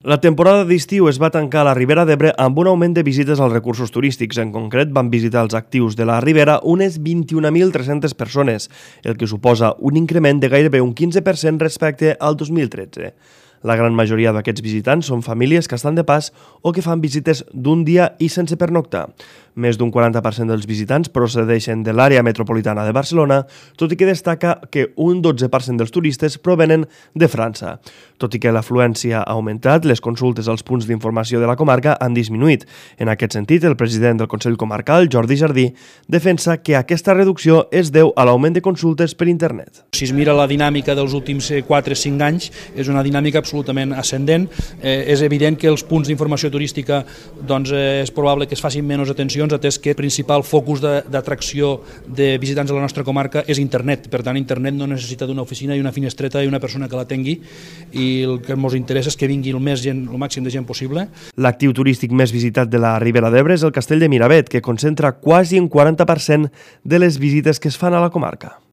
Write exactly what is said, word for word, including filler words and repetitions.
La temporada d'estiu es va tancar a la Ribera d'Ebre amb un augment de visites als recursos turístics. En concret, van visitar els actius de la Ribera unes vint-i-un mil tres-centes persones, el que suposa un increment de gairebé un quinze per cent respecte al dos mil tretze. La gran majoria d'aquests visitants són famílies que estan de pas o que fan visites d'un dia i sense pernoctar. Més d'un quaranta per cent dels visitants procedeixen de l'àrea metropolitana de Barcelona, tot i que destaca que un dotze per cent dels turistes provenen de França. Tot i que l'afluència ha augmentat, les consultes als punts d'informació de la comarca han disminuït. En aquest sentit, el president del Consell Comarcal, Jordi Jardí, defensa que aquesta reducció es deu a l'augment de consultes per internet. Si es mira la dinàmica dels últims quatre o cinc anys, és una dinàmica absolutament ascendent. Eh, és evident que els punts d'informació turística doncs, eh, és probable que es facin menys atencions, atès que el principal focus d'atracció de, de visitants a la nostra comarca és internet. Per tant, internet no necessita d'una oficina i una finestreta i una persona que la tingui, i el que ens interessa és que vingui el, més gent, el màxim de gent possible. L'actiu turístic més visitat de la Ribera d'Ebre és el Castell de Miravet, que concentra quasi un quaranta per cent de les visites que es fan a la comarca.